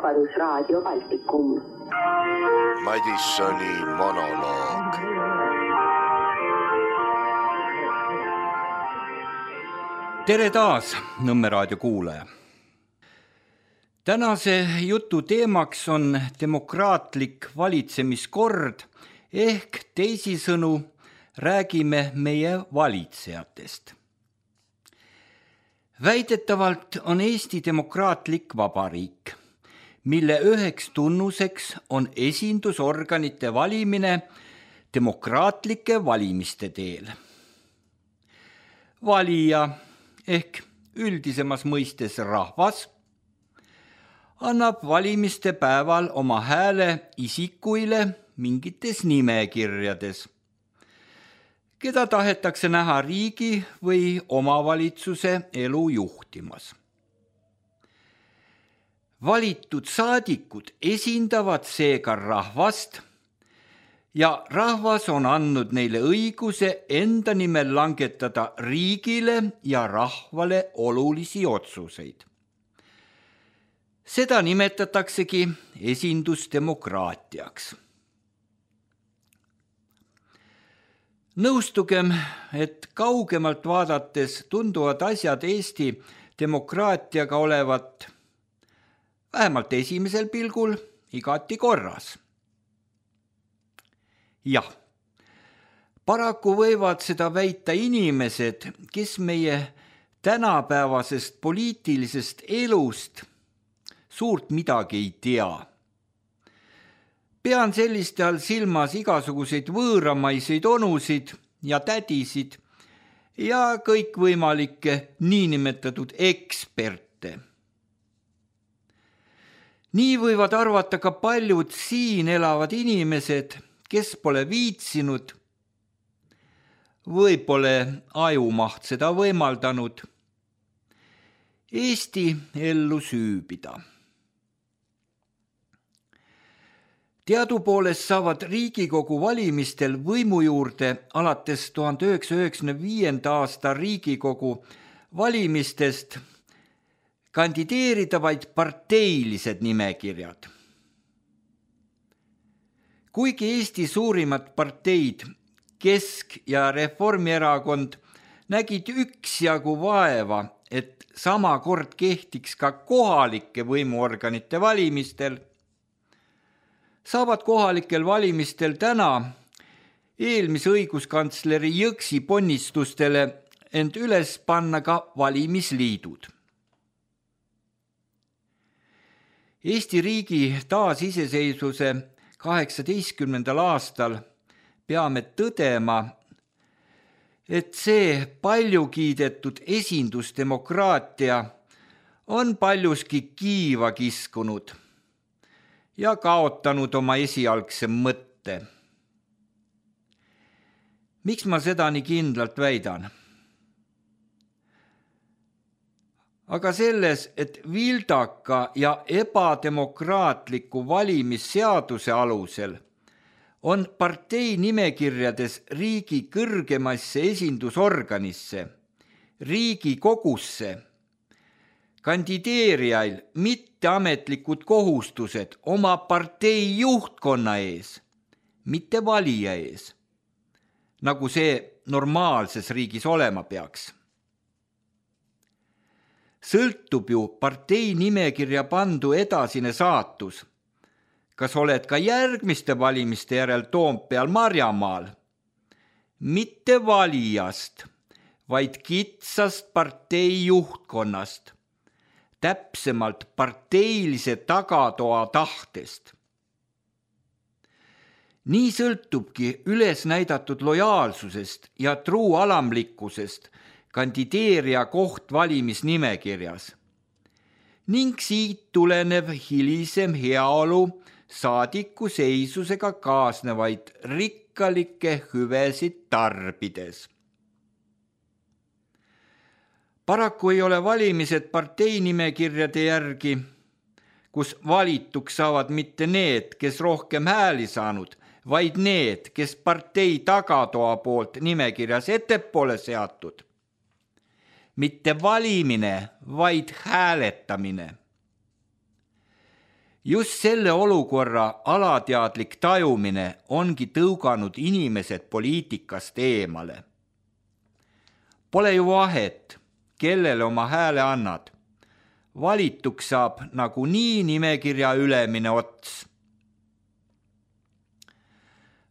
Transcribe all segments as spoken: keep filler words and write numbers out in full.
Vabadusraadio Baltikum. Madissoni monoloog. Tere taas, Nõmme raadio kuulaja. Tänase jutu teemaks on demokraatlik valitsemiskord ehk teisisõnu räägime meie valitsejatest. Väidetavalt on Eesti demokraatlik vabariik, mille üheks tunnuseks on esindusorganite valimine demokraatlike valimiste teel. Valija ehk üldisemas mõistes rahvas annab valimiste päeval oma hääle isikuile mingites nimekirjades, keda tahetakse näha riigi või omavalitsuse elu juhtimas. Valitud saadikud esindavad seega rahvast ja rahvas on andnud neile õiguse enda nimel langetada riigile ja rahvale olulisi otsuseid. Seda nimetataksegi esindusdemokraatiaks. Nõustugem, et kaugemalt vaadates tunduvad asjad Eesti demokraatiaga olevat vähemalt esimesel pilgul igati korras. Jah, paraku võivad seda väita inimesed, kes meie tänapäevasest poliitilisest elust suurt midagi ei tea. Pean selliste all silmas igasuguseid võõramaiseid onusid ja tädisid ja kõikvõimalikke niinimetatud eksperte. Nii võivad arvata ka paljud siin elavad inimesed, kes pole viitsinud või pole ajumaht seda võimaldanud Eesti ellu süübida. Teadupoolest saavad Riigikogu valimistel võimu juurde alates tuhande üheksasaja üheksakümne viienda aasta Riigikogu valimistest kandideerida vaid parteilised nimekirjad. Kuigi Eesti suurimad parteid, Kesk- ja Reformierakond, nägid üksjagu vaeva, et sama kord kehtiks ka kohalike võimuorganite valimistel, saavad kohalikel valimistel täna eelmise õiguskantsleri Jõksi ponnistustele end üles panna ka valimisliidud. Eesti riigi taasiseseisvuse kaheksateistkümnendal aastal peame tõdema, et see palju kiidetud esindusdemokraatia on paljuski kiiva kiskunud ja kaotanud oma esialgse mõtte. Miks ma seda nii kindlalt väidan? Aga selles, et vildaka ja ebademokraatliku valimisseaduse alusel on partei nimekirjades riigi kõrgemasse esindusorganisse, Riigikogusse, kandideerijail mitteametlikud kohustused oma partei juhtkonna ees, mitte valija ees, nagu see normaalses riigis olema peaks. Sõltub ju partei nimekirja pandu edasine saatus, kas oled ka järgmiste valimiste järel Toompeal Marjamaal, mitte valijast, vaid kitsast partei juhtkonnast, täpsemalt parteilise tagatoa tahtest. Nii sõltubki üles näidatud lojaalsusest ja truu alamlikkusest kandideerija koht valimisnimekirjas ning siit tulenev hilisem heaolu saadiku seisusega kaasnevaid rikkalikke hüvesid tarbides. Paraku ei ole valimised parteinimekirjade järgi, kus valituks saavad mitte need, kes rohkem hääli saanud, vaid need, kes partei tagatoa poolt nimekirjas ettepoole seatud. Mitte valimine, vaid hääletamine. Just selle olukorra alateadlik tajumine ongi tõuganud inimesed poliitikast eemale. Pole ju vahet, kellele oma hääle annad. Valituks saab nagu nii nimekirja ülemine ots.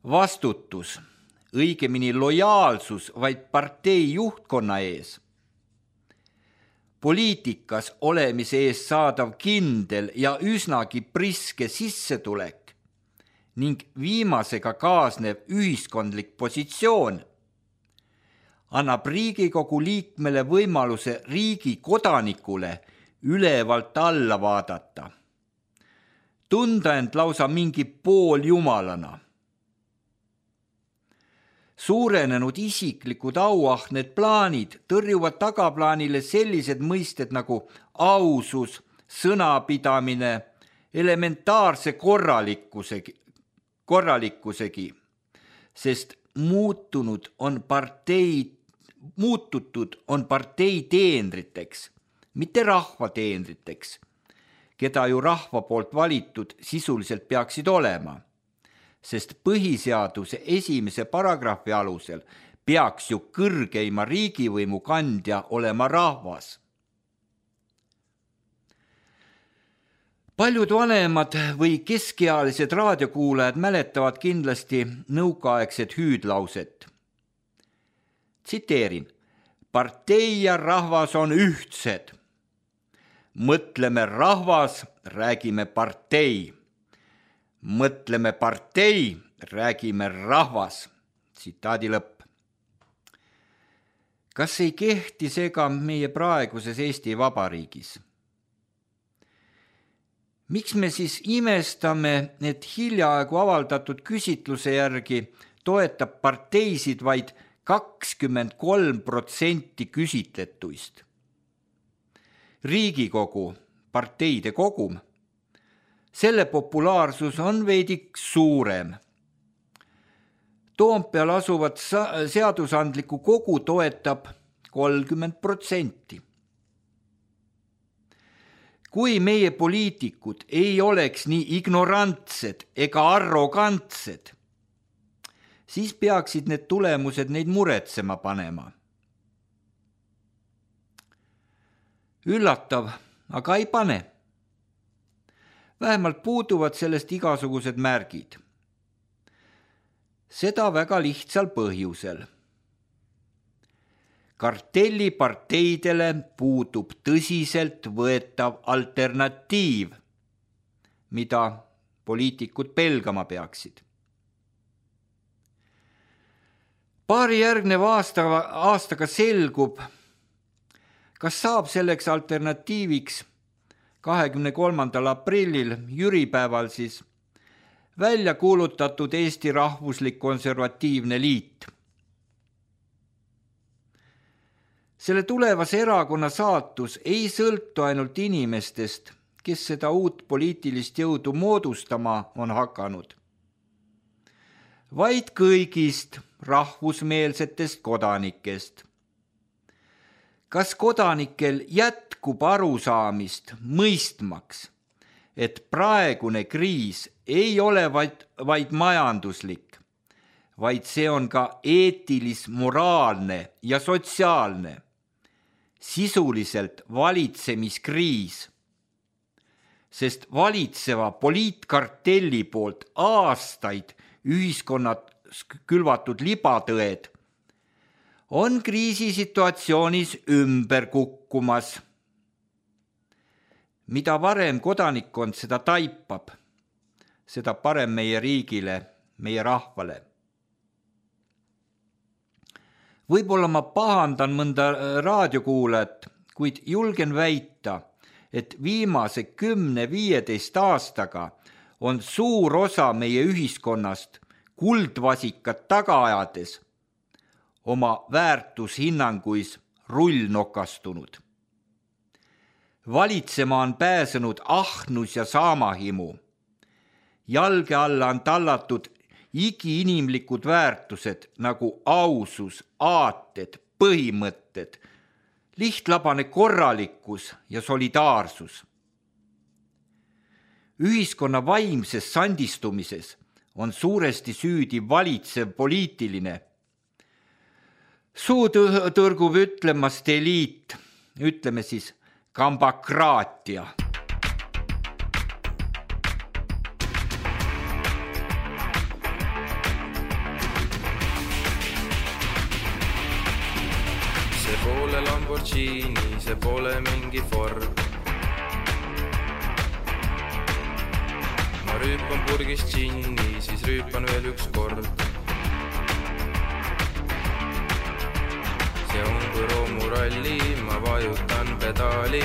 Vastutus, õigemini lojaalsus vaid partei juhtkonna ees. Poliitikas olemise ees saadav kindel ja üsnagi priske sissetulek ning viimasega kaasnev ühiskondlik positsioon annab Riigikogu liikmele võimaluse riigi kodanikule ülevalt alla vaadata, tunda end lausa mingi pooljumalana. Suurenenud isiklikud auahned plaanid tõrjuvad tagaplaanile sellised mõisted nagu ausus, sõnapidamine, elementaarse korralikkusegi, korralikkusegi, sest muutunud on partei, muututud on partei teenriteks, mitte rahva teenriteks, keda ju rahva poolt valitud sisuliselt peaksid olema. Sest põhiseaduse esimese paragrahvi alusel peaks ju kõrgeima riigivõimu kandja olema rahvas. Paljud vanemad või keskealised raadiokuulajad mäletavad kindlasti nõukaaegset hüüdlauset. Tsiteerin, partei ja rahvas on ühtsed. Mõtleme rahvas, räägime partei. Mõtleme partei, räägime rahvas. Tsitaadi lõpp. Kas ei kehti seega meie praeguses Eesti Vabariigis? Miks me siis imestame, et hiljaaegu avaldatud küsitluse järgi toetab parteisid vaid kakskümmend kolm protsenti küsitletuist? Riigikogu, parteide kogum, selle populaarsus on veidik suurem. Toompeal asuvat seadusandlikku kogu toetab kolmkümmend protsenti. Kui meie poliitikud ei oleks nii ignorantsed ega arrogantsed, siis peaksid need tulemused neid muretsema panema. Üllatav, aga ei pane. Vähemalt puuduvad sellest igasugused märgid. Seda väga lihtsal põhjusel. Kartelliparteidele puudub tõsiselt võetav alternatiiv, mida poliitikud pelgama peaksid. Paari järgneva aasta, aastaga selgub, kas saab selleks alternatiiviks kahekümne kolmandal aprillil, jüripäeval siis, välja kuulutatud Eesti Rahvuslik Konservatiivne Liit. Selle tulevase erakonna saatus ei sõltu ainult inimestest, kes seda uut poliitilist jõudu moodustama on hakanud, vaid kõigist rahvusmeelsetest kodanikest. Kas kodanikel jätkub arusaamist mõistmaks, et praegune kriis ei ole vaid, vaid majanduslik, vaid see on ka eetilis, moraalne ja sotsiaalne, sisuliselt valitsemiskriis, sest valitseva poliitkartelli poolt aastaid ühiskonnad külvatud libatõed on kriisisituatsioonis ümber kukkumas. Mida varem kodanikkond seda taipab, seda parem meie riigile, meie rahvale. Võib-olla ma pahandan mõnda raadiokuulajat, kuid julgen väita, et viimase kümne viieteist aastaga on suur osa meie ühiskonnast kuldvasikat taga ajades oma väärtushinnanguis rullnokastunud. Valitsema on pääsenud ahnus ja saamahimu. Jalge alla on tallatud igiinimlikud väärtused nagu ausus, aated, põhimõtted, lihtlabane korralikkus ja solidaarsus. ühiskonna vaimses sandistumises on suuresti süüdi valitsev poliitiline. Suu tõrgub ütlemast eliit, ütleme siis kambakraatia. See pole Lamborghini, see pole mingi Ford. Ma rüüpan purgist džinni, siis rüüpan veel üks kord. See on kui roomuralli, ma vajutan pedaali.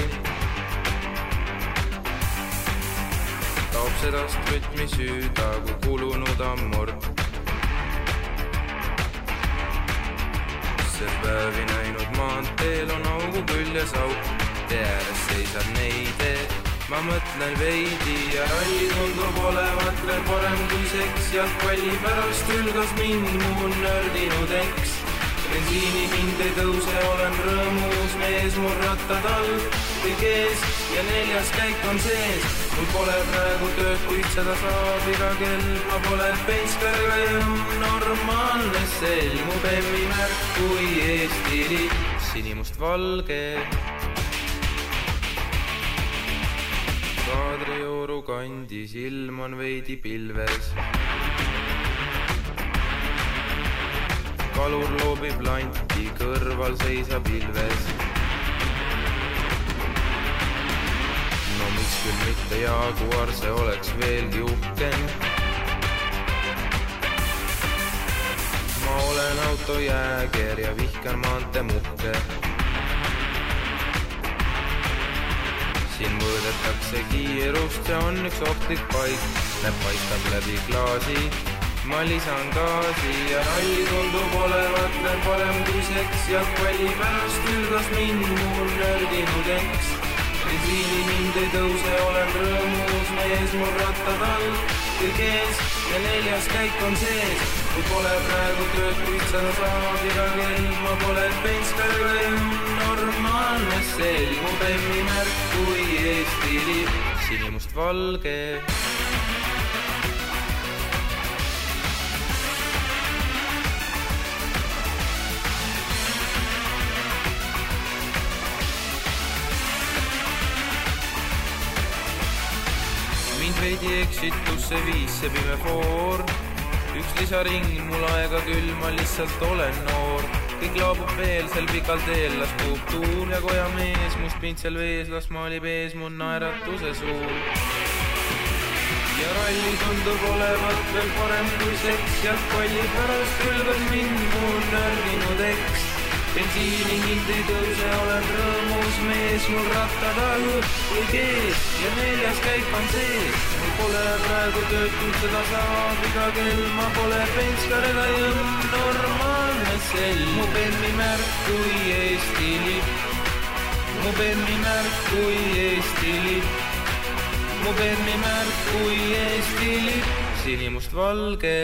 Taob sedast rütmi süüda, kui kulunud ammord. See päevi näinud maanteel on augu küljes auk. Tee ääres seisab neide, ma mõtlen veidi ja ralli tundub olevat veel parem kui seks. Jalgpalli pärast ülgas mind mu nördinud eks. Bensiini hind ei tõuse, olen rõõmus mees, mul rattad all, kõik ees ja neljas käik on sees. Mul pole praegu tööd, kuid seda saab iga kell. Ma pole penskariga jõmm, normaalne sell. Mu bemmi märk kui Eesti lipp, sinimust valge. Kadrioru kandis ilm on veidi pilves. Kalur loobib lanti, kõrval seisab ilves. No miks küll mitte Jaguar, see oleks veelgi uhkem. Ma olen autojääger ja vihkan maante muhke. Siin mõõdetakse kiirust, see on üks ohtlik paik. Näeb paistab läbi klaasi. Ma lisan gaasi ja ralli tundub olevat veel parem kui seks. Jalgpalli pärast ülgas mind mu nördinud eks. Bensiini hind ei tõuse, olen rõõmus mees, mul rattad all, kõik ees ja neljas käik on sees. Kui pole praegu tööd, kuid seda saab iga kell. Ma pole penskariga jõmm, normaalne sell. Mu bemmi märk kui Eesti lipp, sinimust valge. Veidi eksitusse viis see pime foor. Üks lisaring, mul aega küll, ma lihtsalt olen noor. Kõik laabub veel, sel pikal teel las puhub tuul. Ja koja mees, must pintsel vees, las maalib ees mu naeratuse suur. Ja ralli tundub olevat veel parem kui seks. Jalgpalli pärast ülgas mind mu nördinud eks. Bensiini hind ei tõuse, olen rõõmus mees, mul rattad all, kõik ees ja neljas käik on sees. Mul pole praegu tööd, kuid seda saab iga kell. Ma pole penskariga jõmm, normaalne sell. Mu bemmi märk kui Eesti lipp, mu bemmi märk kui Eesti lipp, mu bemmi märk kui Eesti lipp, sinimust valge.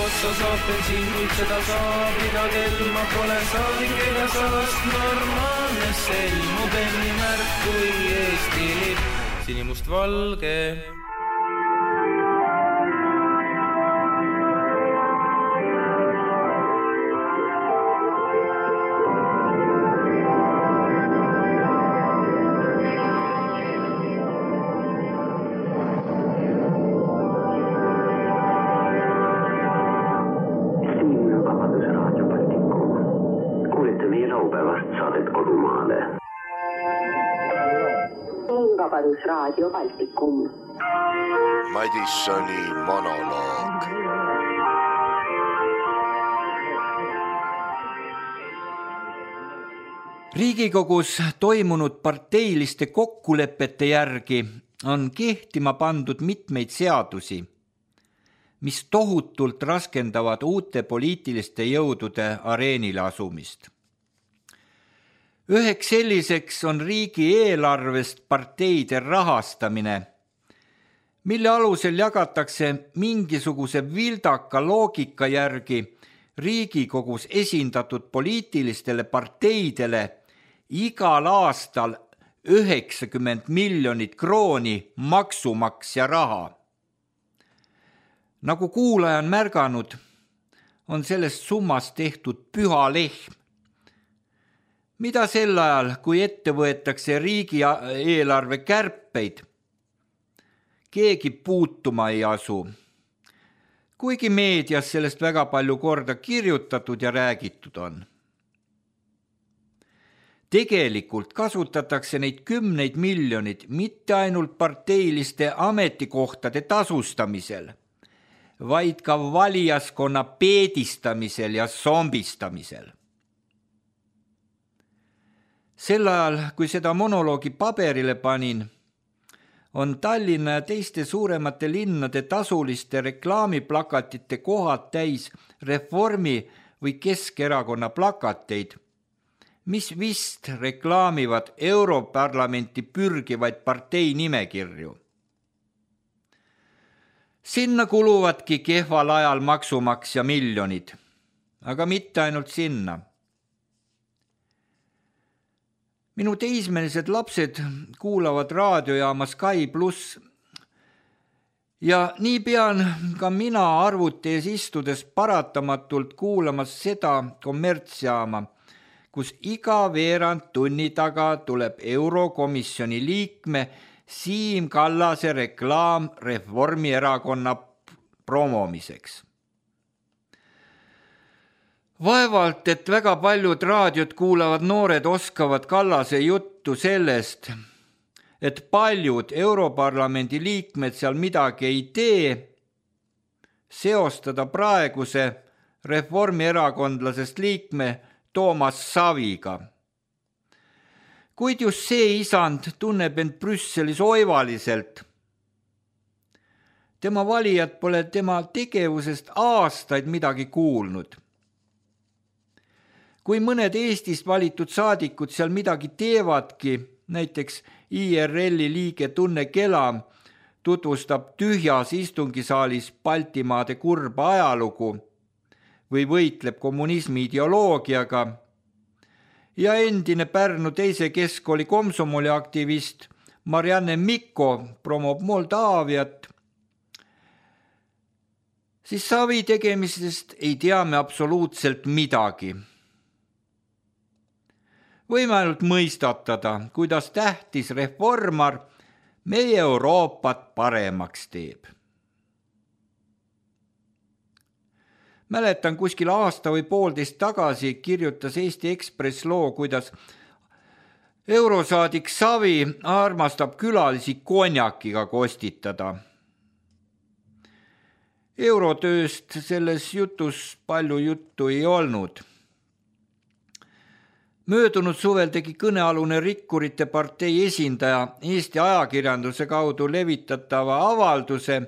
Otsa saab bensiin, kuid seda saab iga kell. Ma pole saadik ega saast, normaalne sell. Mu bemmi märk kui Eesti lipp, sinimust valge. Raadio Baltikum. Madissoni monoloog. Riigikogus toimunud parteiliste kokkulepete järgi on kehtima pandud mitmeid seadusi, mis tohutult raskendavad uute poliitiliste jõudude areenile asumist. Üheks selliseks on riigi eelarvest parteide rahastamine, mille alusel jagatakse mingisuguse vildaka loogika järgi Riigikogus esindatud poliitilistele parteidele igal aastal üheksakümmend miljonit krooni maksumaksja raha. Nagu kuulaja on märganud, on sellest summast tehtud püha lehm, mida sel ajal, kui ette võetakse riigieelarve kärpeid, keegi puutuma ei asu, kuigi meedias sellest väga palju korda kirjutatud ja räägitud on. Tegelikult kasutatakse neid kümneid miljonid mitte ainult parteiliste ametikohtade tasustamisel, vaid ka valijaskonna peedistamisel ja zombistamisel. Sel ajal, kui seda monoloogi paberile panin, on Tallinna ja teiste suuremate linnade tasuliste reklaamiplakatite kohad täis Reformi või Keskerakonna plakateid, mis vist reklaamivad Europarlamenti pürgivaid partei nimekirju. Sinna kuluvadki kehval ajal maksumaksja miljonid, aga mitte ainult sinna. Minu teismelised lapsed kuulavad raadiojaama Sky pluss ja nii pean ka mina arvuti ees istudes paratamatult kuulamas seda kommertsjaama, kus iga veerand tunni taga tuleb Eurokomisjoni liikme Siim Kallase reklaam Reformierakonna promomiseks. Vaevalt, et väga paljud raadiot kuulavad noored oskavad Kallase juttu sellest, et paljud Europarlamendi liikmed seal midagi ei tee, seostada praeguse reformierakondlasest liikme Toomas Saviga. Kuid just see isand tunneb end Brüsselis oivaliselt. Tema valijad pole tema tegevusest aastaid midagi kuulnud. Kui mõned Eestist valitud saadikud seal midagi teevadki, näiteks I R L-i liige Tunne Kelam tutvustab tühjas istungisaalis Baltimaade kurba ajalugu või võitleb kommunismi ideoloogiaga, ja endine Pärnu teise keskkooli komsomoli aktivist Marianne Mikko promob Moldaaviat, siis Savi tegemisest ei tea me absoluutselt midagi. Võime ainult mõistatada, kuidas tähtis reformar meie Euroopat paremaks teeb. Mäletan, kuskil aasta või poolteist tagasi kirjutas Eesti Ekspress loo, kuidas eurosaadik Savi armastab külalisi konjakiga kostitada. Eurotööst selles jutus palju juttu ei olnud. Möödunud suvel tegi kõnealune Rikkurite partei esindaja Eesti ajakirjanduse kaudu levitatava avalduse,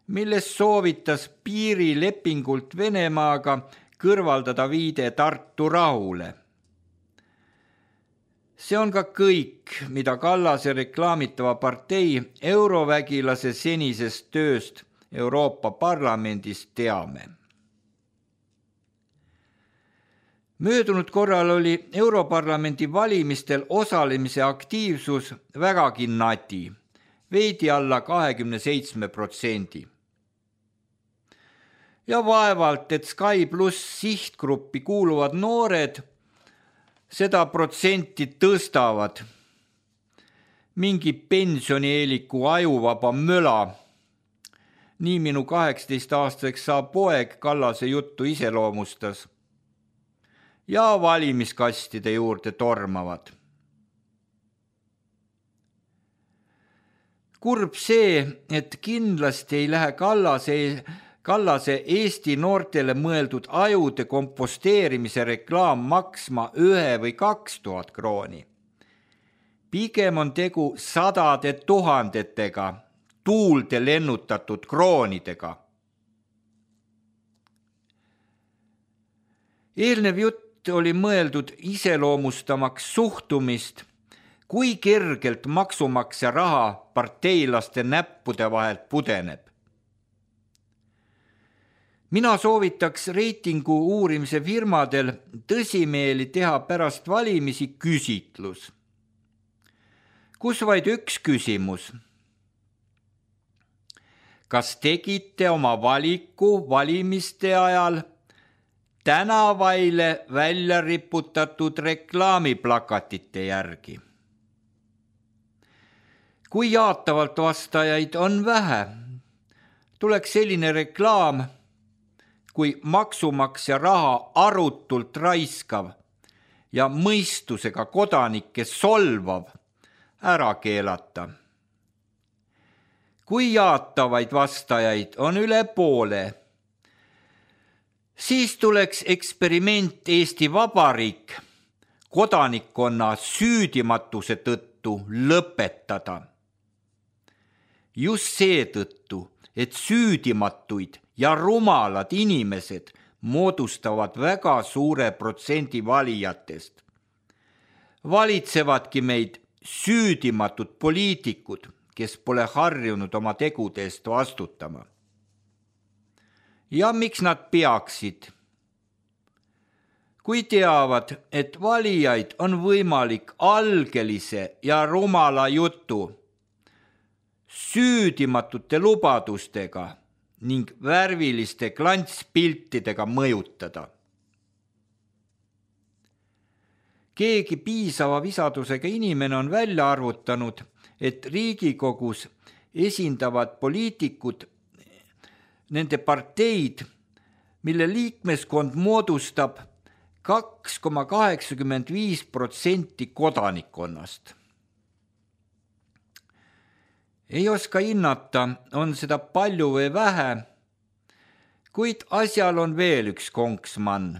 milles soovitas piirilepingult Venemaaga kõrvaldada viide Tartu rahule. See on ka kõik, mida Kallase reklaamitava partei eurovägilase senisest tööst Euroopa Parlamendis teame. Möödunud korral oli Europarlamendi valimistel osalemise aktiivsus vägagi nati, veidi alla kahekümne seitsme protsendi. Ja vaevalt, et Sky pluss sihtgruppi kuuluvad noored seda protsenti tõstavad. Mingi pensionieeliku ajuvaba möla. Nii minu kaheksateist-aastaseks saab poeg Kallase juttu iseloomustas. Ja valimiskastide juurde tormavad. Kurb see, et kindlasti ei lähe Kallase Kallase Eesti noortele mõeldud ajude komposteerimise reklaam maksma ühe või kaks tuhat krooni. Pigem on tegu sadade tuhandetega, tuulde lennutatud kroonidega. Eelnev jutt oli mõeldud iseloomustamaks suhtumist, kui kergelt maksumaksja raha parteilaste näppude vahelt pudeneb. Mina soovitaks reitingu uurimise firmadel tõsimeeli teha pärast valimisi küsitlus, kus vaid üks küsimus. Kas tegite oma valiku valimiste ajal tänavaile välja riputatud reklaamiplakatite järgi? Kui jaatavalt vastajaid on vähe, tuleks selline reklaam, kui maksumaksja raha arutult raiskav ja mõistusega kodanikke solvav ära keelata. Kui jaatavaid vastajaid on üle poole, siis tuleks eksperiment Eesti Vabariik kodanikkonna süüdimatuse tõttu lõpetada. Just seetõttu, et süüdimatuid ja rumalad inimesed moodustavad väga suure protsendi valijatest. Valitsevadki meid süüdimatud poliitikud, kes pole harjunud oma tegude eest vastutama. Ja miks nad peaksid? Kui teavad, et valijaid on võimalik algelise ja rumala jutu, süüdimatute lubadustega ning värviliste klantspiltidega mõjutada. Keegi piisava visadusega inimene on välja arvutanud, et Riigikogus esindavad poliitikud nende parteid, mille liikmeskond moodustab kaks koma kaheksakümmend viis protsenti kodanikkonnast. Ei oska hinnata, on seda palju või vähe, kuid asjal on veel üks konksmann.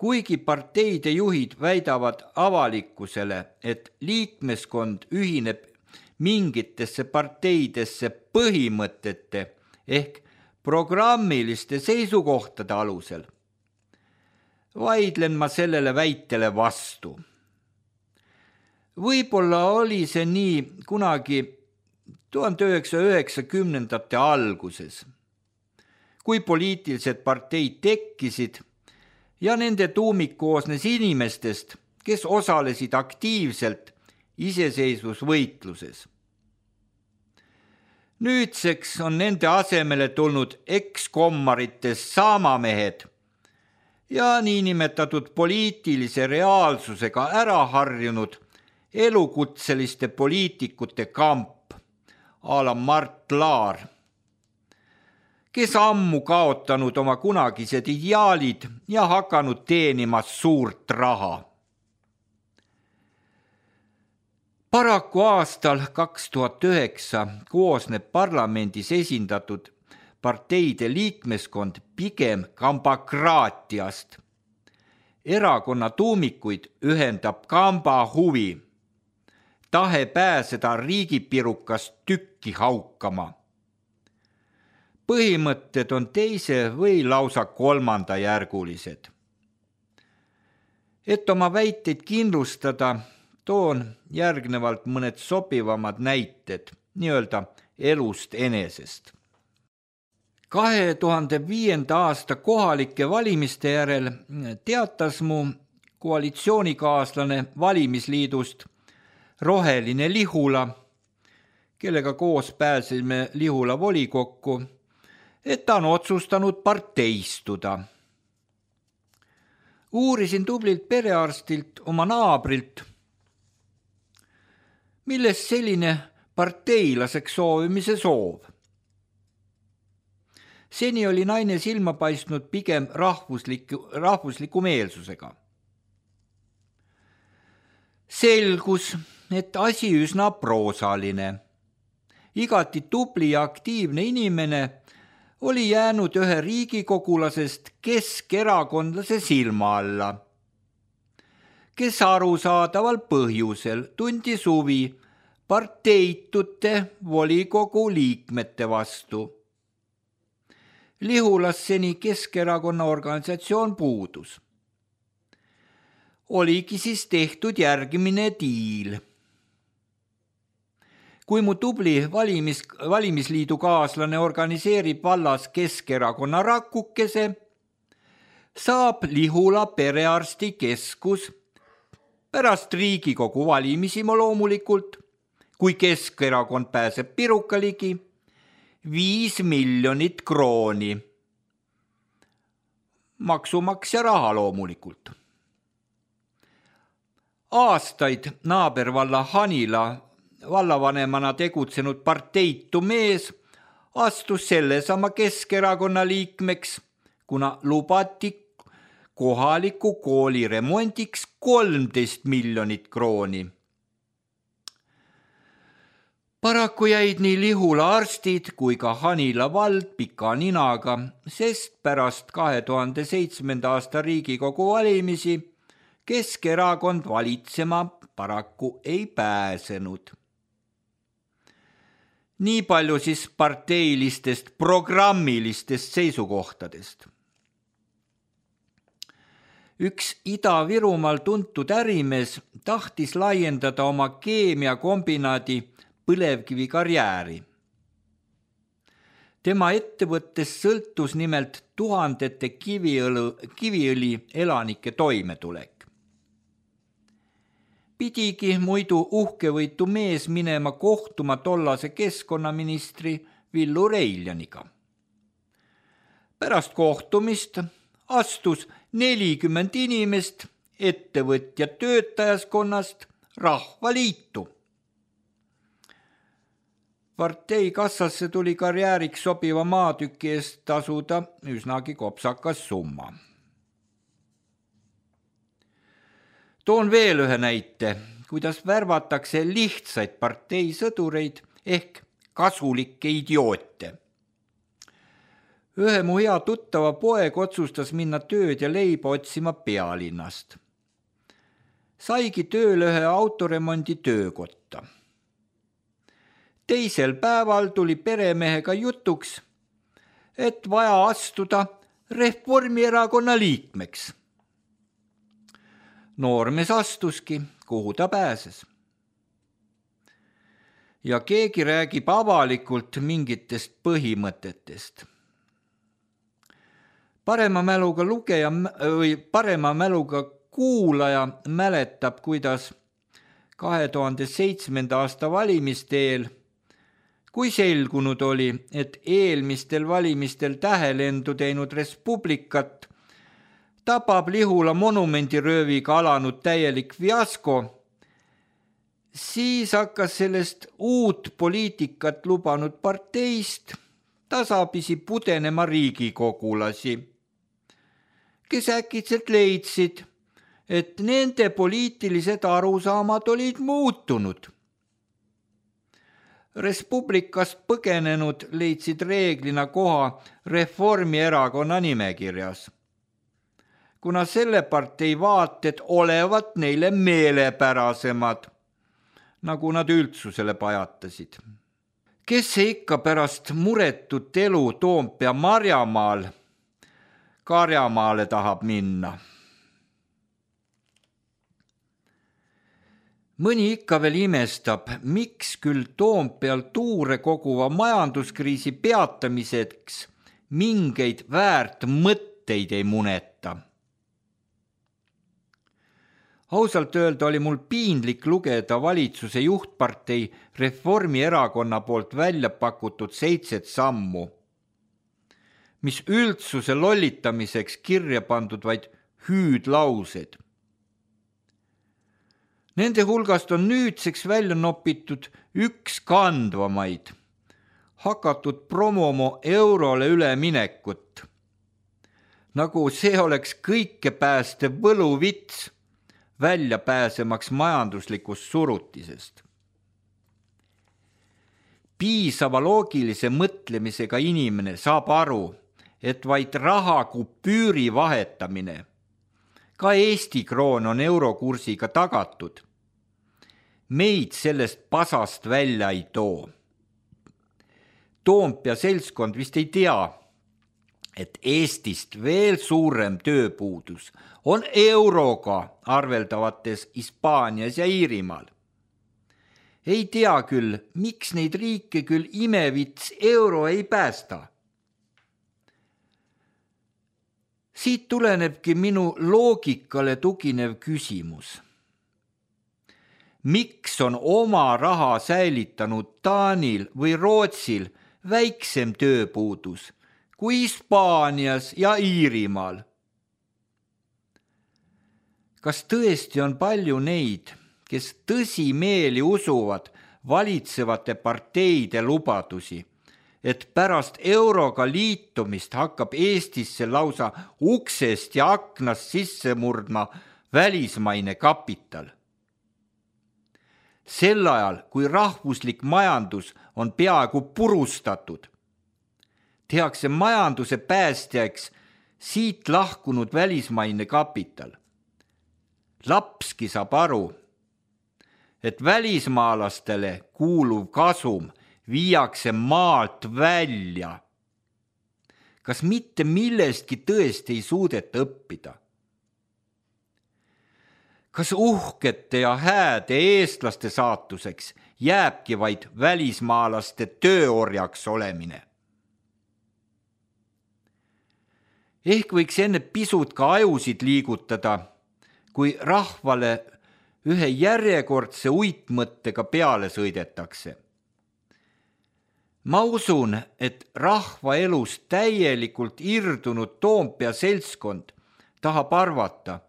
Kuigi parteide juhid väidavad avalikkusele, et liikmeskond ühineb mingitesse parteidesse põhimõtete ehk programmiliste seisukohtade alusel, vaidlen ma sellele väitele vastu. Võib-olla oli see nii kunagi tuhande üheksasaja üheksakümnendate alguses, kui poliitilised parteid tekkisid ja nende tuumik koosnes inimestest, kes osalesid aktiivselt iseseisvusvõitluses. Nüüdseks on nende asemele tulnud ekskommaritest saamamehed ja niinimetatud poliitilise reaalsusega ära harjunud elukutseliste poliitikute kamp a la Mart Laar, kes ammu kaotanud oma kunagised ideaalid ja hakanud teenima suurt raha. Paraku aastal kaks tuhat üheksa koosneb parlamendis esindatud parteide liikmeskond pigem kambakraatiast. Erakonna tuumikuid ühendab kamba huvi, tahe pääseda riigipirukast tükki haukama. Põhimõtted on teise või lausa kolmandajärgulised. Et oma väiteid kindlustada, toon järgnevalt mõned sobivamad näited, nii-öelda elust enesest. kahe tuhande viienda aasta kohalike valimiste järel teatas mu koalitsioonikaaslane valimisliidust Roheline Lihula, kellega koos pääsime Lihula volikokku, et ta on otsustanud parteistuda. Uurisin tublilt perearstilt oma naabrilt, millest selline parteilaseks soovimise soov. Seni oli naine silma paistnud pigem rahvusliku, rahvusliku meelsusega. Selgus, et asi üsna proosaline. Igati tubli ja aktiivne inimene oli jäänud ühe riigikogulasest keskerakondlase silma alla, kes arusaadaval põhjusel tundis huvi parteitute volikogu liikmete vastu. Lihulas seni Keskerakonna organisatsioon puudus. oligi siis tehtud järgmine diil. Kui mu tubli valimis, valimisliidu kaaslane organiseerib vallas Keskerakonna rakukese, saab Lihula perearstikeskus pärast Riigikogu valimisi loomulikult, kui Keskerakond pääseb piruka ligi, viis miljonit krooni. Maksumaksja raha loomulikult. Aastaid naabervalla Hanila vallavanemana tegutsenud parteitu mees astus sellesama Keskerakonna liikmeks, kuna lubati kohaliku kooli remondiks kolmteist miljonit krooni. Paraku jäid nii Lihula arstid kui ka Hanila vald pika ninaga, sest pärast kahe tuhande seitsmenda aasta Riigikogu valimisi Keskerakond valitsema paraku ei pääsenud. Nii palju siis parteilistest programmilistest seisukohtadest. Üks Ida-Virumaal tuntud ärimees tahtis laiendada oma keemiakombinaadi põlevkivi karjääri. Tema ettevõttes sõltus nimelt tuhandete kiviõli, kiviõli elanike toimetulek. Pidigi muidu uhkevõitu mees minema kohtuma tollase keskkonnaministri Villu Reiljaniga. Pärast kohtumist astus nelikümmend inimest ettevõtja töötajaskonnast Rahvaliitu. Partei kassasse tuli karjääriks sobiva maatüki eest tasuda üsnagi kopsakas summa. Toon veel ühe näite, kuidas värvatakse lihtsaid parteisõdureid ehk kasulikke idioote. Ühe mu hea tuttava poeg otsustas minna tööd ja leiba otsima pealinnast. Saigi tööle ühe autoremondi töökotta. Teisel päeval tuli peremehega jutuks, et vaja astuda Reformierakonna liikmeks. Noormees astuski, kuhu ta pääses. Ja keegi räägib avalikult mingitest põhimõtetest. Parema mäluga lugeja või parema mäluga kuulaja mäletab, kuidas kahe tuhande seitsmenda aasta valimisteel, kui selgunud oli, et eelmistel valimistel tähelendu teinud Respublikat tabab Lihula monumendirööviga alanud täielik fiasko, siis hakkas sellest uut poliitikat lubanud parteist tasapisi pudenema riigikogulasi, kes äkitselt leidsid, et nende poliitilised arusaamad olid muutunud. Respublikast põgenenud leidsid reeglina koha Reformierakonna nimekirjas, kuna selle partei vaated olevat neile meelepärasemad, nagu nad üldsusele pajatasid. Kes see ikka pärast muretut elu Toompea Marjamaal Karjamaale tahab minna? Mõni ikka veel imestab, miks küll Toompeal tuure koguva majanduskriisi peatamiseks mingeid väärt mõtteid ei muneta. Ausalt öelda oli mul piinlik lugeda valitsuse juhtpartei Reformierakonna poolt välja pakutud seitset sammu, mis üldsuse lollitamiseks kirja pandud vaid hüüdlaused. Nende hulgast on nüüdseks välja nopitud üks kandvamaid, hakatud promomo eurole üleminekut, nagu see oleks kõike päästev võluvits välja pääsemaks majanduslikust surutisest. Piisava loogilise mõtlemisega inimene saab aru, et vaid raha kupüüri vahetamine, ka Eesti kroon on eurokursiga tagatud, meid sellest pasast välja ei too. Toompea seltskond vist ei tea, et Eestist veel suurem tööpuudus on euroga arveldavates Hispaanias ja Iirimaal. Ei tea küll, miks neid riike küll imevits euro ei päästa. Siit tulenebki minu loogikale tuginev küsimus. Miks on oma raha säilitanud Taanil või Rootsil väiksem tööpuudus kui Hispaanias ja Iirimaal? Kas tõesti on palju neid, kes tõsimeeli usuvad valitsevate parteide lubadusi, et pärast euroga liitumist hakkab Eestisse lausa uksest ja aknast sisse murdma välismaine kapital? Sel ajal, kui rahvuslik majandus on peaaegu purustatud, tehakse majanduse päästjaks siit lahkunud välismaine kapital. Lapski saab aru, et välismaalastele kuuluv kasum viiakse maalt välja. Kas mitte millestki tõesti ei suudeta õppida? Kas uhkete ja hääde eestlaste saatuseks jääbki vaid välismaalaste tööorjaks olemine? Ehk võiks enne pisut ka ajusid liigutada, kui rahvale ühe järjekordse uitmõttega peale sõidetakse. Ma usun, et rahva elus täielikult irdunud Toompea seltskond tahab arvata,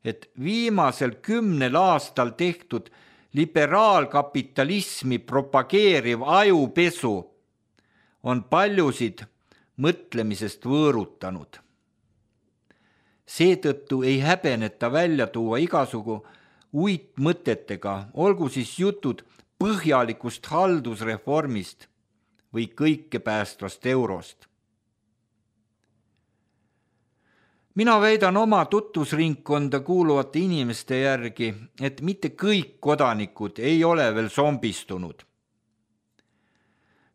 et viimasel kümnel aastal tehtud liberaalkapitalismi propageeriv ajupesu on paljusid mõtlemisest võõrutanud. Seetõttu ei häbeneta välja tuua igasugu uitmõtetega, olgu siis jutud põhjalikust haldusreformist või kõike päästvast eurost. Mina väidan oma tutvusringkonda kuuluvate inimeste järgi, et mitte kõik kodanikud ei ole veel zombistunud.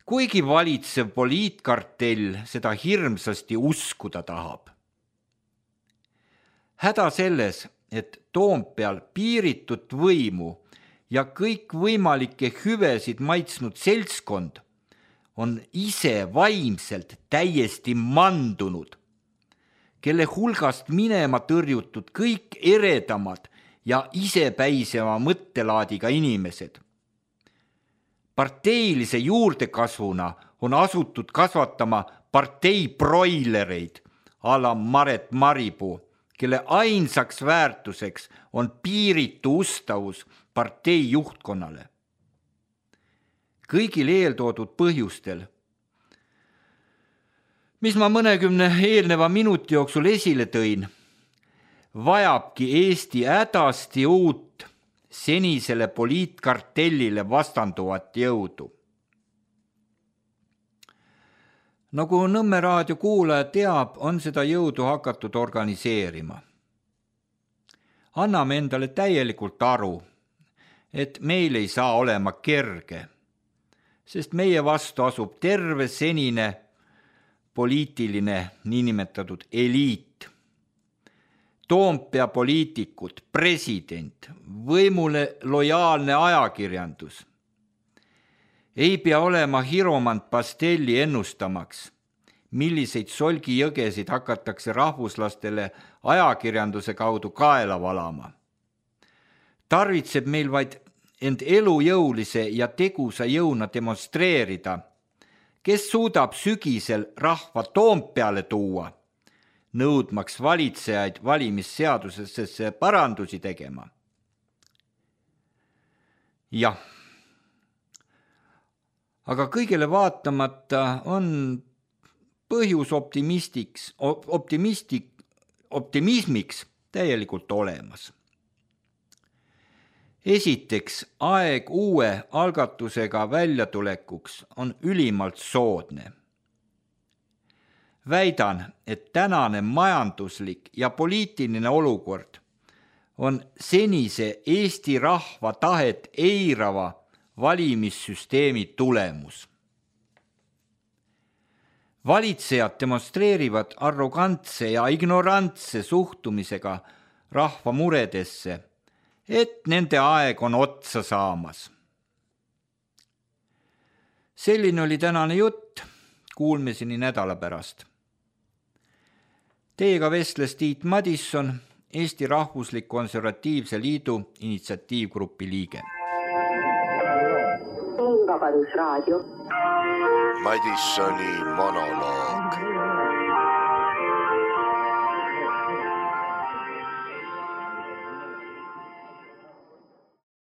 Kuigi valitsev poliitkartell seda hirmsasti uskuda tahab. Häda selles, et Toompeal piiritut võimu ja kõik võimalikke hüvesid maitsnud seltskond on ise vaimselt täiesti mandunud, kelle hulgast minema tõrjutud kõik eredamad ja isepäiseva mõttelaadiga inimesed. Parteilise juurdekasvuna on asutud kasvatama partei broilereid a la Maret Maripuu, kelle ainsaks väärtuseks on piiritu ustavus partei juhtkonnale. Kõigil eeltoodud põhjustel, mis ma mõnekümne eelneva minuti jooksul esile tõin, vajabki Eesti hädasti uut senisele poliitkartellile vastanduvat jõudu. Nagu Nõmme raadio kuulaja teab, on seda jõudu hakatud organiseerima. Anname endale täielikult aru, et meil ei saa olema kerge, sest meie vastu asub terve senine poliitiline niinimetatud eliit. Toompea poliitikud, president, võimule lojaalne ajakirjandus. Ei pea olema hiromant Pastelli ennustamaks, milliseid solgijõgesid hakatakse rahvuslastele ajakirjanduse kaudu kaela valama. Tarvitseb meil vaid end elujõulise ja tegusa jõuna demonstreerida, kes suudab sügisel rahva Toompeale tuua, nõudmaks valitsejaid valimisseadusesse parandusi tegema. Jah, aga kõigele vaatamata on põhjus optimistiks, optimistik, optimismiks täielikult olemas. Esiteks, aeg uue algatusega väljatulekuks on ülimalt soodne. Väidan, et tänane majanduslik ja poliitiline olukord on senise Eesti rahva tahet eirava valimissüsteemi tulemus. Valitsejad demonstreerivad arrogantse ja ignorantse suhtumisega rahva muredesse, et nende aeg on otsa saamas. Selline oli tänane jutt, kuulmiseni nädala pärast. Teiega vestles Tiit Madisson, Eesti Rahvuslik Konservatiivse Liidu initsiatiivgrupi liige. Vabadusraadio. Madissoni monoloog.